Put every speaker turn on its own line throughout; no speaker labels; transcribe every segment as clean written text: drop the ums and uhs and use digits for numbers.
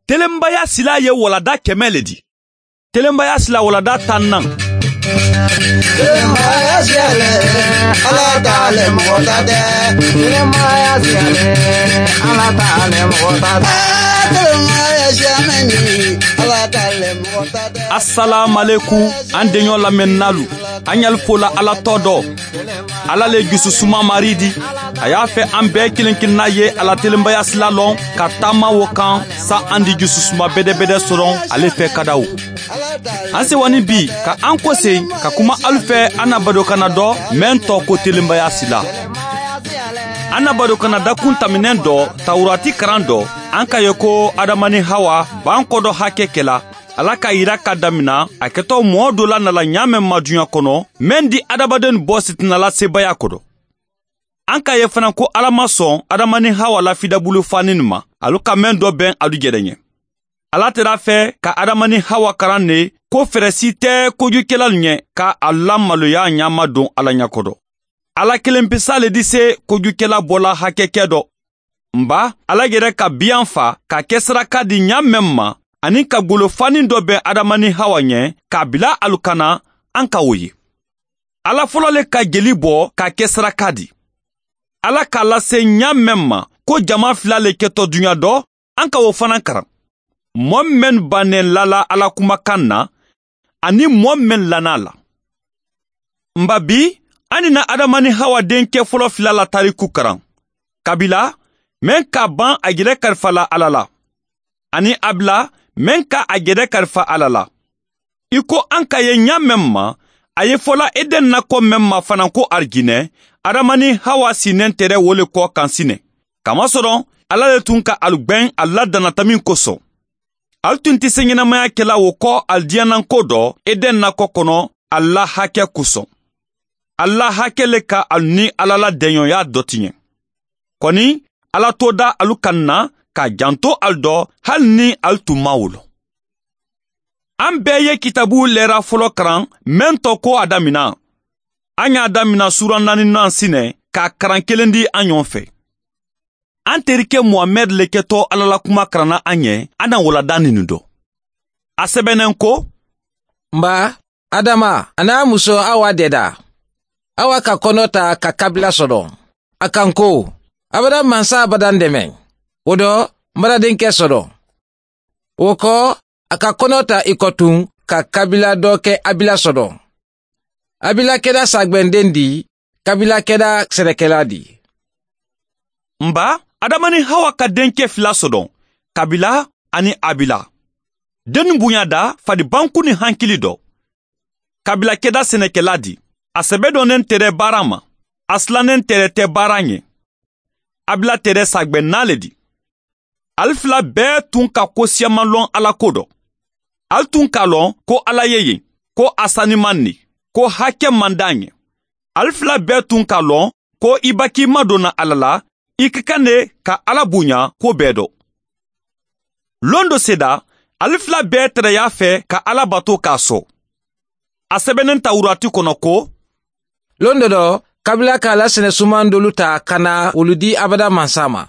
Telenbaya sila ye walada 100 le di. Telenbaya sila walada 10nan.
Telenbaya sila ala t'ale mɔgɔ ta tɛ. Telenbaya sila ala t'ale mɔgɔ ta tɛ. Telenbaya sila ala t'ale mɔgɔ ta tɛ.
Assalamu alaikum an deɲɔ lamɛnnalu. An y'al fola ala tɔ dɔ. Ala le jususuma mari di. A y'a fɛ an bɛɛ kelen kelenna ye ala telenbaya sila lɔn ka taama wo kan sa an di jususuma bɛdɛbɛdɛ sɔrɔ ale fɛ kadaw. An sewani bi ka an kɔsen ka kuma alu fɛ an na badokana dɔ mɛn tɔ ko telenbaya sila. An na badokana dakun taminɛn dɔ tawurati karan dɔ an ka ye ko Adama ni Hawa b'an kɔ dɔ hakɛ kɛla. Ala ka yira ka damina a kɛtɔ mɔɔ dɔ la nala ɲa mɛn ma duɲa kɔnɔ mɛn di adamaden bɔ sitinala sebaya kɔrɔ. An ka ye fana ko Ala ma sɔn Adama ni Hawa la fidabulu fani nin ma, alu ka mɛn dɔ bɛn alu jɛrɛ ɲɛ. Ala tɛra fɛ ka Adama ni Hawa karan ne ko fɛrɛ si tɛ kojukɛla ɲɛ ka a lamaloya ɲama don Ala ɲɛkɔrɔ. Ala kelen pesa le di se kojukɛla bɔla hakɛkɛ dɔ. Nba Ala yɛrɛ ka biyan fa ka kɛ saraka di ɲa mɛn ma ani ka golofani dɔ bɛn Adama ni Hawa ɲɛ k'a bila alu kana an ka o ye. Ala fɔlɔ le ka jeli bɔ ka kɛ saraka di. Ala k'a lase ɲa mɛn ma ko jama fila le kɛtɔ duɲa dɔ an ka o fana karan. Mɔɔ mɛn bannen lala Ala kumakan na ani mɔɔ mɛn lana la. Nba bi an na Adama ni Hawa denkɛ fɔlɔ fila la tariku karan. Kabila mɛn ka ban a yɛrɛ kalifa la Ala la. Ani Abila mɛn ka a yɛrɛ kalifa Ala la. I ko an ka ye ɲa mɛn ma, a ye fɔla Eden nakɔ mɛn ma fana ko Arijinɛ, Adama ni Hawa sinnen tɛrɛ wo le kɔ kan sinɛ. Kamasɔrɔ Ala le tun ka alu gbɛn a la danatamin kosɔn. Alu tun tɛ se ɲɛnamaya kɛla o kɔ alijɛnanko dɔ Eden nakɔ kɔnɔ a la hakɛ kosɔn. A la hakɛ le ka alu ni Ala la dɛɲɔya dɔ tiɲɛ. Kɔni Ala t'o da alu kan na ka janto alu dɔ hali ni alu tun ma wolo. An bɛɛ ye kitabu lɛra fɔlɔ karan mɛn tɔ ko a damina. An y'a damina sura 4nan sinɛ k'a karan kelen di an ɲɔgɔn fɛ. An terikɛ Muhamɛd le kɛtɔ Ala la kuma karanna an ɲɛ, an na walada nin dɔ. A sɛbɛnnen ko:
Nba, Adama, a n'a muso Awa dɛda. Awa ka kɔnɔ ta ka kabila sɔrɔ. A kan ko, abada mansa abadan dɛmɛ. O dɔ, n bara denkɛ sɔrɔ. O kɔ, a ka kɔnɔ ta i kɔ tun ka kabila dɔ kɛ Abila sɔrɔ. Abila kɛra sagbɛnden di, kabila kɛra sɛnɛkɛla di.
Nba, Adama ni Hawa ka denkɛ fila sɔrɔ, Kabila ani Abila. Den bonya da fadibanku ni hankili dɔ. Kabila kɛra sɛnɛkɛla di. A sɛbɛ dɔnnen tɛrɛ baara ma. A silannen tɛrɛ tɛ baara ɲɛ. Abila tɛrɛ sagbɛnna le di. Al fila bɛɛ tun ka ko siyaman lɔn Ala ko dɔ. Al tun k'a lɔn ko Ala ye yen, ko a saniman ne, ko hakɛ man d'a ɲɛ. Al fila bɛɛ tun k'a lɔn ko i ba k'i madonna Ala la, i ka kan de ka Ala bonya ko bɛɛ dɔ. Lon dɔ seda, al fila bɛɛ tɛrɛ y'a fɛ ka Ala bato k'a sɔn. A sɛbɛnnen Tawurati kɔnɔ ko:
Lon dɔ dɔ, kabila k'a la sɛnɛsuman dolu ta ka na olu di abada mansa ma.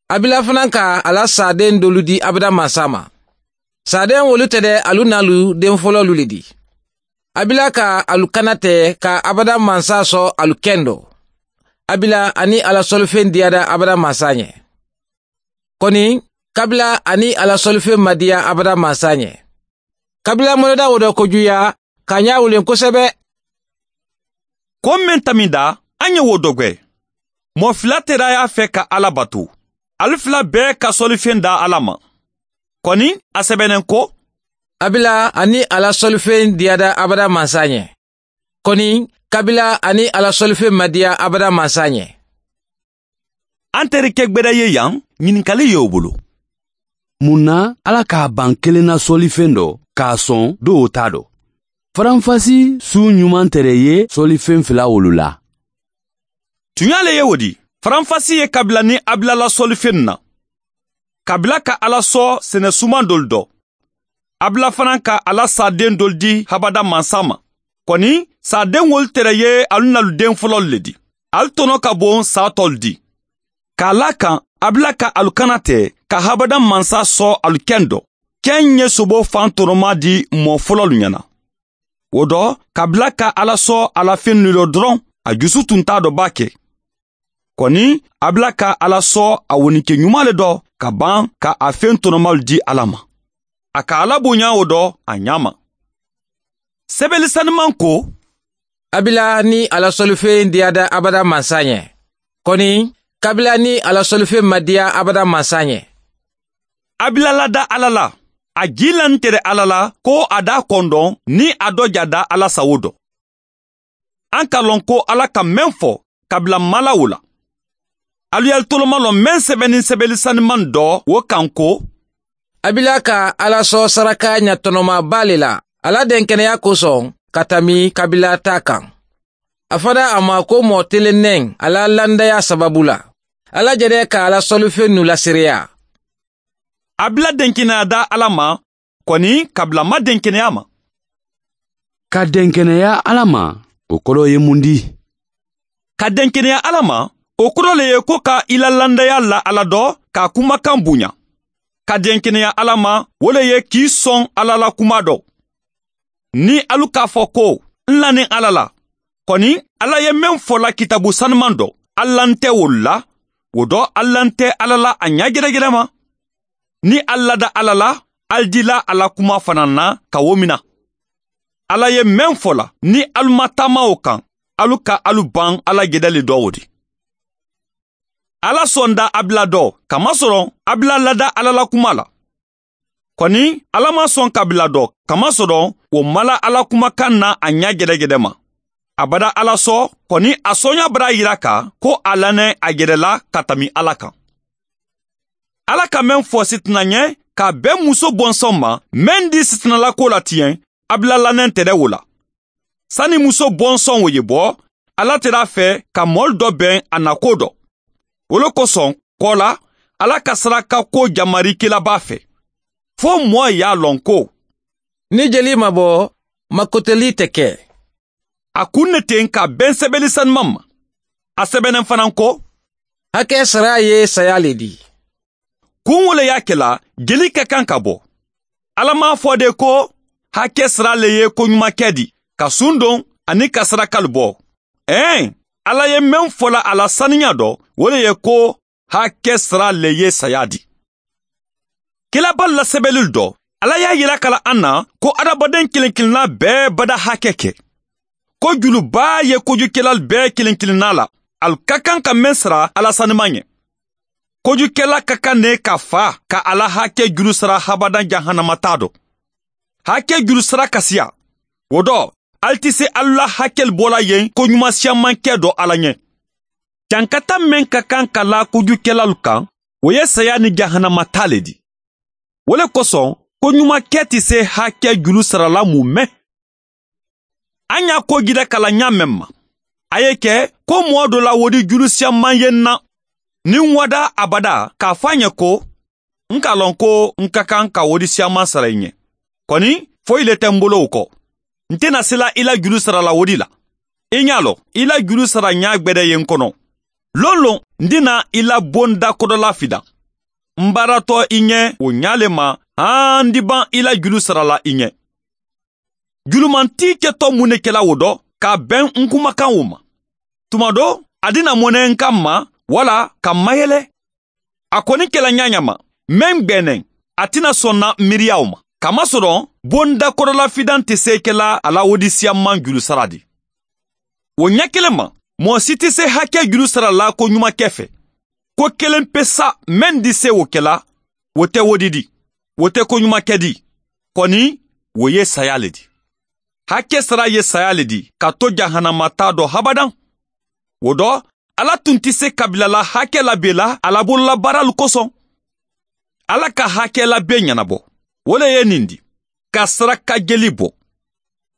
Abila fana ka a la saden dolu di abada mansa ma. Saden wolu tɛ dɛ alu n'alu den fɔlɔlu le di. Abila ka alu kana tɛ ka abada mansa sɔn alu kɛn dɔ. Abila ani ala sɔlifɛn diyara abada mansa ɲɛ. Kɔni, kabila ani ala sɔlifɛn ma diya abada mansa ɲɛ. Kabila mɔnɛda o dɔ kojuya ka ɲa wulen kosɛbɛ.
Ko min tamida, an ye wo dɔgwɛ. Mɔ fila tɛra y'a fɛ ka Ala bato. Alu fila bɛɛ ka sɔlifɛn da Ala ma. Kɔni, a sɛbɛnnen ko:
Abila ani ala sɔlifɛn diyara abada mansa ɲɛ. Kɔni, kabila ani ala sɔlifɛn ma diya abada mansa ɲɛ.
An terikɛ gbɛdɛ ye yan, ɲininkali ye o bolo.
Mun na Ala k'a ban kelen na sɔlifɛn dɔ k'a sɔn dɔw t'a dɔn? Faranfasi su ɲuman tɛrɛ ye sɔlifɛn fila wolu la.
Tuɲa le ye o di. Faranfasi ye kabila ni Abila la sɔlifɛn na. Kabila ka Ala sɔ sɛnɛsuman dolu dɔ. Abila fana ka Ala saden dolu di habada mansa ma. Kɔni, saden wolu tɛrɛ ye alu n'alu den fɔlɔlu le di. Alu tɔnɔ ka bon sa tɔlu di. K'a la kan Abila ka alu kana tɛ ka habada mansa sɔ alu kɛn dɔ. Kɛn ye sobo fan tɔnɔma di mɔ fɔlɔlu ɲɛna. O dɔ, kabila ka Ala sɔ a la fen dɔ dɔrɔn, a jusu tun t'a dɔ b'a kɛ. Kɔni, Abila ka Ala sɔ a wonike ɲuman le dɔ ka ban ka a fen tɔnɔmalu di Ala ma. A ka Ala bonya o dɔ a ɲa ma. Sɛbɛli saniman ko,
Abila ni ala sɔlifen diyada abada mansa ɲɛ. Kɔni, kabila ni ala sɔlifen ma diya abada mansa ɲɛ.
Abila lada Ala la. A ji lan tere Ala la ko a da kɔndɔn ni a dɔ jada Ala sago dɔ. An ka lɔn ko Ala ka mɛn fɔ kabila mala o la. Alu y'al toloma lɔn mɛn sɛbɛnni sɛbɛli saniman dɔ o kan ko,
Abila ka Ala sɔ saraka ɲatɔnɔmaba le la, ala denkɛnɛya kosɔn ka tami kabila ta kan. A fɔra a ma ko mɔɔ telennɛn ala landaya sababu la. Ala jɛrɛ ka ala sɔlifen nu lasereya.
Abila denkɛnɛya da Ala ma, kɔni kabila ma denkɛnɛya ma.
Ka denkɛnɛya Ala ma, o kɔrɔ ye mun di?
Ka denkɛnɛya Ala ma, o kɔrɔ le ye ko ka i la landaya la Ala dɔ k'a kumakan bonya. Ka denkɛnɛya Ala ma, o le ye k'i sɔn Ala la kuma dɔ. Ni alu k'a fɔ ko n lanin Ala la, kɔni Ala ye mɛn fɔ la kitabu sanuman dɔ, Ala tɛ o la, o dɔ Ala tɛ Ala la a ɲɛ gɛrɛgɛrɛ ma. Ni Ala da Ala la, al dila Ala kuma fana na ka wo mina. Ala ye mɛn fɔ la, ni alu ma taama o kan, alu ka alu ban Ala gɛdɛli dɔ o di. Ala sɔn da Abila dɔ, kamasɔrɔ Abila lada Ala la kuma la. Kɔni, Ala ma sɔn kabila dɔ, kamasɔrɔ o mala Ala kumakan na a ɲɛ gɛrɛgɛrɛ ma. A bada Ala sɔ, kɔni a sɔnya bara yira ka ko a lanɛ a yɛrɛ la ka tami Ala kan. Ala ka mɛn fɔ sitina ɲɛ ka bɛn muso bɔnsɔn ma, mɛn di sitinala ko la tiɲɛ, Abila lanɛ tɛrɛ o la. Sani muso bɔnsɔn o ye bɔ, Ala tɛr'a fɛ ka mɔli dɔ bɛn a nako dɔ. O le kosɔn, kɔ la, Ala ka saraka ko jamarikɛla b'a fɛ. Fo mɔɔ y'a lɔn ko,
Ni jeli ma bɔ, makoteli tɛ kɛ.
A kun ne ten ka bɛn sɛbɛnni sanuman ma. A sɛbɛnnen fana ko,
Hakɛ sara ye saya le di.
Kun wo le y'a kɛla, jeli ka kan ka bɔ. Ala m'a fɔ de ko, hakɛ sara le ye koɲumankɛ di, ka sun don ani ka sarakalu bɔ. Ɛn, Ala ye mɛn fɔla a la saniya dɔ, o le ye ko hakɛ sara le ye saya di. Kilaba la sɛbɛnni dɔ, Ala y'a yira kala an na ko adamaden kelen kelenna bɛɛ bada hakɛ kɛ. Ko juluba ye kojukɛla bɛɛ kelen kelenna la, al ka kan ka mɛn sara Ala sanuman ɲɛ. Kojukɛla ka kan ne ka fa ka Ala hakɛ juru sara habadan jahanama t'a dɔ. Hakɛ juru sara kasiya. O dɔ, al tɛ se Ala hakɛ bɔla yen ko ɲuman siyaman kɛ dɔ Ala ɲɛ. Jankata mɛn ka kan ka la kojukɛlalu kan, o ye saya ni jahanama ta le di. O le kosɔn, ko ɲuman kɛ tɛ se hakɛ juru sarala mun mɛn. An y'a ko jira kala ɲa mɛn ma. A ye kɛ ko mɔɔ dɔ la wodi juru siyaman ye n na. Ni n wada abada k'a fɔ a ɲɛ ko, n k'a lɔn ko n ka kan ka wodi siyaman sara i ɲɛ. Kɔni, foyi le tɛ n bolo o kɔ. N tɛna se la i la juru sara la wodi la. I ɲ'a lɔn, i la juru sara ɲa gbɛdɛ ye n kɔnɔ. Lon lon, n dina i la bonda kɔdɔla fidan. N baaratɔ i ɲɛ o ɲa le ma, han di ban i la juru sara la i ɲɛ. Julumanti kɛtɔ mun ne kɛla o dɔ, k'a bɛn n kumakan o ma. Tuma dɔ, a dina mɔnɛ n kan ma, wala ka mayɛlɛ. A kɔni kɛla ɲa ma, mɛn gbɛnɛ, a tɛna sɔn na miiriyaw ma. Kamasɔrɔ, bonda kɔrɔla fidan tɛ se kɛla a la wodisiyaman juru sara di. O ɲɛ kelen ma, mɔgɔ si tɛ se hakɛ juru sara la ko ɲuman kɛ fɛ. Ko kelen pe sa mɛn di se o kɛla, o tɛ wodi di, o tɛ ko ɲuman kɛ di. Kɔni, o ye saya le di. Hakɛ sara ye saya le di, ka to jahanama t'a dɔ habadan. O dɔ, Ala tun tɛ se kabila la hakɛ labɛn la a la bololabaaralu kosɔn. Ala ka hakɛ labɛn ɲɛnabɔ. O le ye nin di, ka saraka jeli bɔ.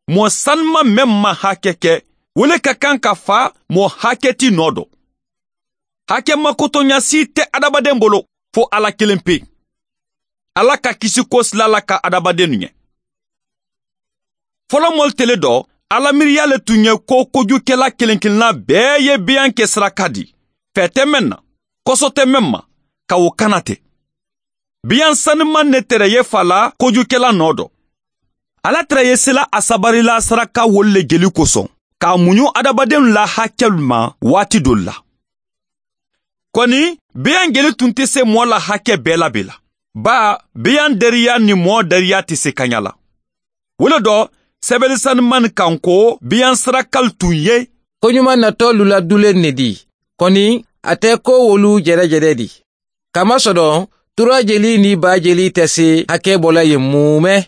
Mɔɔ sanuma mɛn ma hakɛ kɛ, o le ka kan ka fa mɔɔ hakɛ ti nɔ dɔ. Hakɛ makotɔnya si tɛ adamaden bolo fo Ala kelen pe. Ala ka kisi ko sila la ka adamaden ɲɛ. Fɔlɔ mɔli tele dɔ, Ala miiriya le tun ye ko kojukɛla kelen kelenna bɛɛ ye biyan kɛ saraka di. Fɛ tɛ mɛn na, kɔsɔ tɛ mɛn ma. ka o kana tɛ. Biyan sanuman ne tɛrɛ ye fa la kojukɛla nɔ dɔ. Ala tɛrɛ ye sela a sabarila saraka wolu le jeli kosɔn, k'a muɲu adamadenw la hakɛlu ma waati dɔ la. Kɔni, biyan jeli tun tɛ se mɔɔ la hakɛ bɛɛ la la. Ba, biyan deriya ni mɔɔ deriya tɛ se kaɲa la. Wolo dɔ, sɛbɛnni sanuman kan ko biyan sarakal tun ye.
Koɲuman natɔ luladulen ne di, kɔni a tɛ ko wolu jɛrɛjɛrɛ di. Kamasɔrɔ, tura jeli ni ba jeli tɛ se hakɛ bɔla yen mumɛ.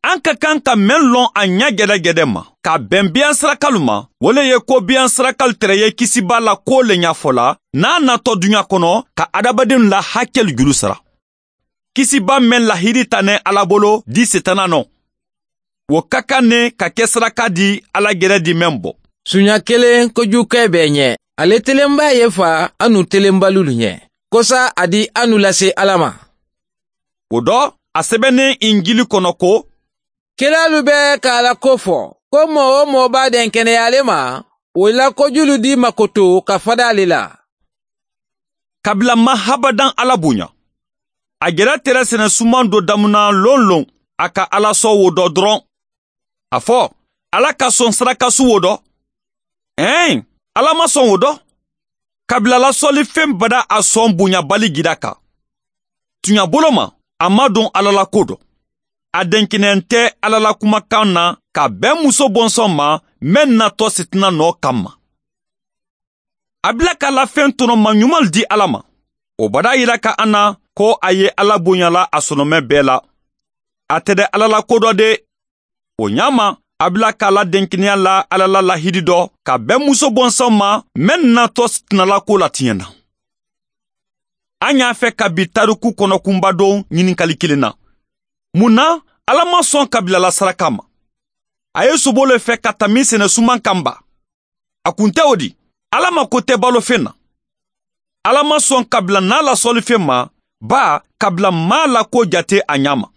An ka kan ka mɛn lɔn a ɲɛ gɛdɛgɛdɛ ma, ka bɛn biyan sarakalu ma, o le ye ko biyan sarakalu tɛrɛ ye kisiba la ko le ɲɛfɔ la, n'a natɔ duɲa kɔnɔ ka adamadenw la hakɛlu juru sara. Kisiba mɛn lahidi tanɛ Ala bolo di setana nɔ. O ka kan ne ka kɛ saraka di Ala gɛrɛ di mɛn bɔ.
Suɲa kelen kojukɛ bɛɛ ɲɛ, ale telenba ye fa anu telenbalu ɲɛ. Kosa a di anu lase Ala ma.
O dɔ, a sɛbɛnnen Injili kɔnɔ ko,
Kiralu bɛ k'a la ko fɔ, ko mɔgɔ o mɔgɔ b'a den kɛnɛyalen ma, o la kojulu di makoto ka fada ale la.
Kabila ma habadan Ala bonya. A gɛrɛ tɛrɛ sɛnɛ suman dɔ damuna lon lon, a ka Ala sɔn wo dɔ dɔrɔn. A fɔ, Ala ka sɔn sarakasu wo dɔ. Ɛn, Ala ma sɔn wo dɔ. Kabila la sɔlifɛn bada a sɔn bonyabali gida kan. Tuɲa bolo ma, a ma don Ala la ko dɔ. A denkɛnɛn tɛ Ala la kumakan na ka bɛn muso bɔnsɔn ma mɛn natɔ sitina nɔ kama. A bila ka lafɛn tɔnɔma ɲuman di Ala ma. O bada yira ka an na ko a ye Ala bonyala a sɔnɔmɛ bɛɛ la. A tɛ dɛ Ala la ko dɔ de. O ɲa ma, a bila k'a la denkɛnɛya la Ala la lahidi dɔ ka bɛn muso bɔnsɔn ma mɛn natɔ sitina ko la tiɲɛ na. An y'a fɛ ka bi tariku kɔnɔkunba don ɲininkali kelen na. Mun na Ala ma sɔn kabila la saraka ma? A ye sobo le fɛ ka tami sɛnɛ suman kan ba. A kun tɛ o di. Ala ma ko tɛ balofɛn na. Ala ma sɔn kabila n'a la sɔlifɛn ma, ba kabila ma la ko jate a ɲa ma.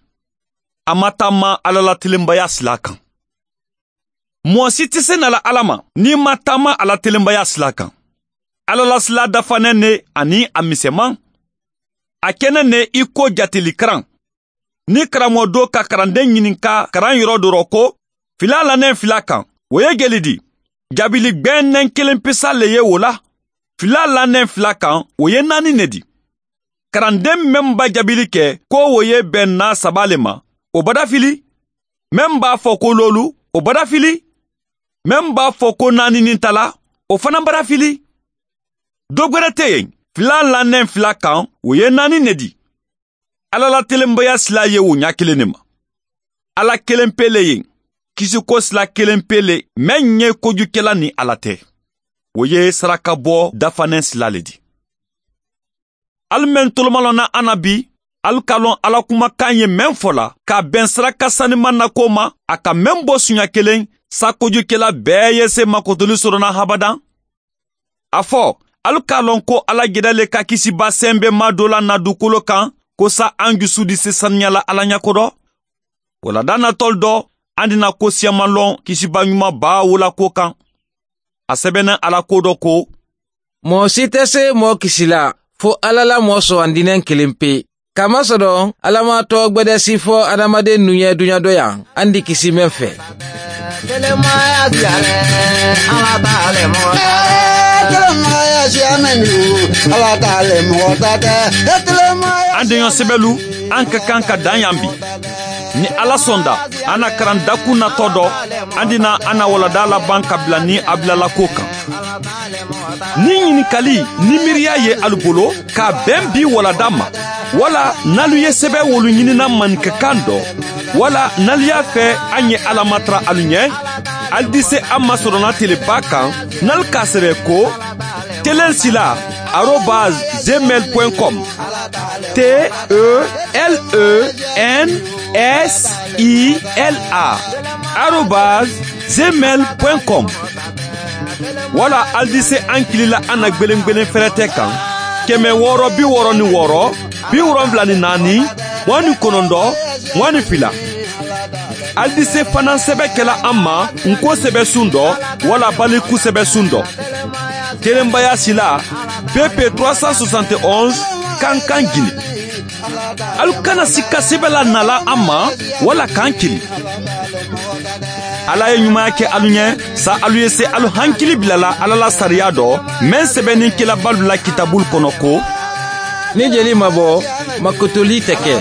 A ma taama Ala la tilenbaya sila kan. Mɔgɔ si tɛ se na la Ala ma n'i ma taama a la tilenbaya sila kan. Ala la sila dafanɛ ne ani a misɛnman. A kɛnɛ ne i ko jatelikaran. Ni karamɔgɔ dɔ ka karanden ɲininka karan yɔrɔ dɔ rɔ ko fila la nɛ fila kan, o ye jeli di? Jabili gbɛnnɛn kelen pesa le ye o la. Fila la nɛ fila kan, o ye 4 ne di. Karanden mɛn b'a jabili kɛ ko o ye bɛn na 3 le ma, o bada fili. Mɛn b'a fɔ ko lolu, o bada fili. Mɛn b'a fɔ ko 4 ni tala, o fana bada fili. Dɔ gwɛrɛ tɛ yen, fila la nɛ fila kan, o ye 4 ne di. Ala la telenbaya sila ye o ɲa kelen ne ma. Ala kelen pe le yen, kisiko sila kelen pe le, mɛn ye kojukɛla ni Ala tɛ. O ye saraka bɔ dafanɛ sila le di. Alu mɛn tolomalɔ na an na bi, alu ka lɔn Ala kumakan ye mɛn fɔ la, ka bɛn saraka saniman na ko ma, a ka mɛn bɔ suɲa kelen, sa kojukɛla bɛɛ ye se makotoli sɔrɔ na habadan. A fɔ, alu ka lɔn ko Ala gɛrɛ le ka kisiba sɛnbɛ ma dɔ la na dugukolo kan, ko sa an jusu di se saniya la Ala ɲɛkɔrɔ. O la da natɔl dɔ, an dina ko siyaman lɔn kisiba ɲuman ba wo la ko kan. A sɛbɛnna Ala ko dɔ ko,
Mɔgɔ si tɛ se mɔgɔ kisi la, fo Ala la mɔgɔ sɔgɔndinɛ kelen pe. Kamasɔrɔ, Ala ma tɔ gbɛdɛ si fɔ adamaden nu ye duɲa dɔ yan, an di kisi mɛn fɛ.
Telemaya siyalɛ, Ala t'ale mɔgɔ ta tɛ. Telemaya siyamɛ ni, Ala t'ale mɔgɔ ta tɛ. Telemaya
An deɲɔ sɛbɛlu, an ka kan ka dan yan bi. Ni Ala sɔnda, an na karan dakun natɔ dɔ, an dina an na walada laban ka bila ni a bilala ko kan. Ni ɲininkali ni miiriya ye alu bolo ka bɛn bi walada ma, wala n'alu ye sɛbɛn wolu ɲinina maninkakan dɔ, wala n'alu y'a fɛ an ye Ala matara alu ɲɛ, alu di se an masɔrɔna teleba kan, n'alu k'a sɛbɛn ko telensila arobase gmail point com, T E L E N S I L A arobase gmail point com. Wala alu di se an kilila an na gwelen-gwelen fɛrɛtɛ kan, 666 74 29 22. Alu di se fana sɛbɛ kɛla an ma nko sɛbɛ sun dɔ, wala baliku sɛbɛ sun dɔ. Telenbaya sila BP 371 Kankan Guinée. Alu kana sika sɛbɛn la nala an ma wala k'an kili. Ala ye ɲumanya kɛ alu ɲɛ sa alu ye se alu hankili bilala Ala la sariya dɔ mɛn sɛbɛnni kelabalu la kitabulu kɔnɔ ko
ni jeli ma bɔ makotoli tɛ kɛ.